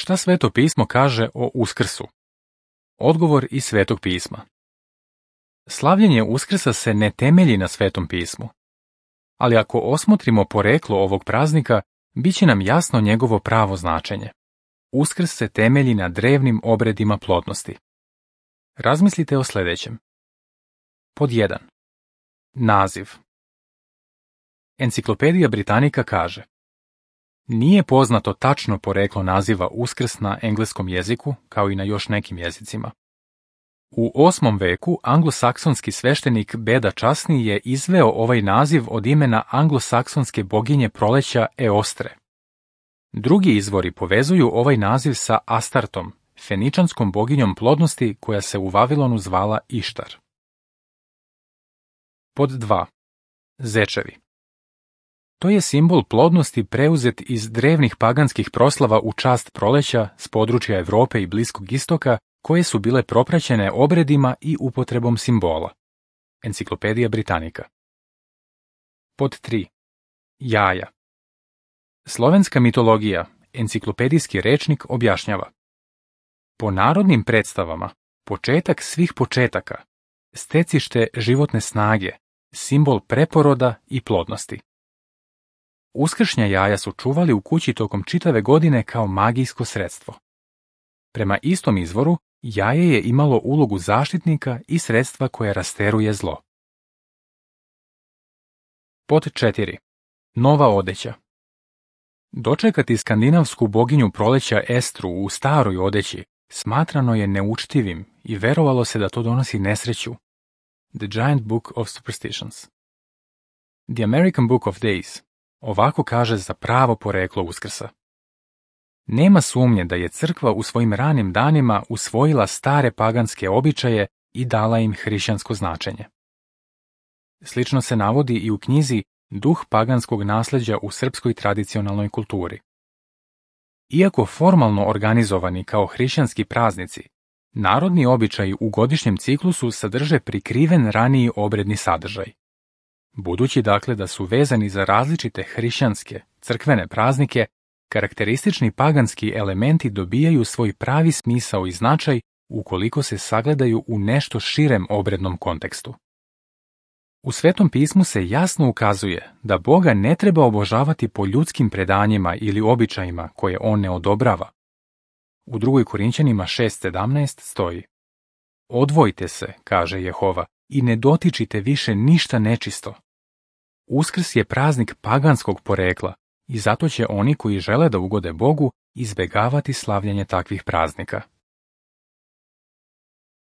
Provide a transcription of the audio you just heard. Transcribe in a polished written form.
Šta Sveto pismo kaže o Uskrsu? Odgovor iz Svetog pisma. Slavljenje Uskrsa se ne temelji na Svetom pismu. Ali ako osmotrimo poreklo ovog praznika, bit će nam jasno njegovo pravo značenje. Uskrs se temelji na drevnim obredima plodnosti. Razmislite o sljedećem. Pod 1. Naziv. Enciklopedija Britannica kaže: nije poznato tačno poreklo naziva Uskrs na engleskom jeziku, kao i na još nekim jezicima. U 8. veku anglosaksonski sveštenik Beda Časni je izveo ovaj naziv od imena anglosaksonske boginje proleća Eostre. Drugi izvori povezuju ovaj naziv sa Astartom, feničanskom boginjom plodnosti koja se u Vavilonu zvala Ištar. Pod 2. Zečevi. To je simbol plodnosti preuzet iz drevnih paganskih proslava u čast proleća s područja Europe i Bliskog istoka, koje su bile propraćene obredima i upotrebom simbola. Enciklopedija Britannica. Pod 3. Jaja. Slovenska mitologija, enciklopedijski rečnik objašnjava: po narodnim predstavama, početak svih početaka, stecište životne snage, simbol preporoda i plodnosti. Uskršnja jaja su čuvali u kući tokom čitave godine kao magijsko sredstvo. Prema istom izvoru, jaje je imalo ulogu zaštitnika i sredstva koje rasteruje zlo. Pod 4. Nova odeća. Dočekati skandinavsku boginju proleća Estru u staroj odeći smatrano je neučtivim i verovalo se da to donosi nesreću. The Giant Book of Superstitions. The American Book of Days ovako kaže za pravo poreklo Uskrsa. Nema sumnje da je crkva u svojim ranim danima usvojila stare paganske običaje i dala im hrišćansko značenje. Slično se navodi i u knjizi Duh paganskog nasljeđa u srpskoj tradicionalnoj kulturi. Iako formalno organizovani kao hrišćanski praznici, narodni običaji u godišnjem ciklusu sadrže prikriven raniji obredni sadržaj. Budući dakle da su vezani za različite hrišćanske, crkvene praznike, karakteristični paganski elementi dobijaju svoj pravi smisao i značaj ukoliko se sagledaju u nešto širem obrednom kontekstu. U Svetom pismu se jasno ukazuje da Boga ne treba obožavati po ljudskim predanjima ili običajima koje on ne odobrava. U 2. Korinćanima 6:17 stoji: odvojite se, kaže Jehova, i ne dotičite više ništa nečisto. Uskrs je praznik paganskog porekla i zato će oni koji žele da ugode Bogu izbegavati slavljenje takvih praznika.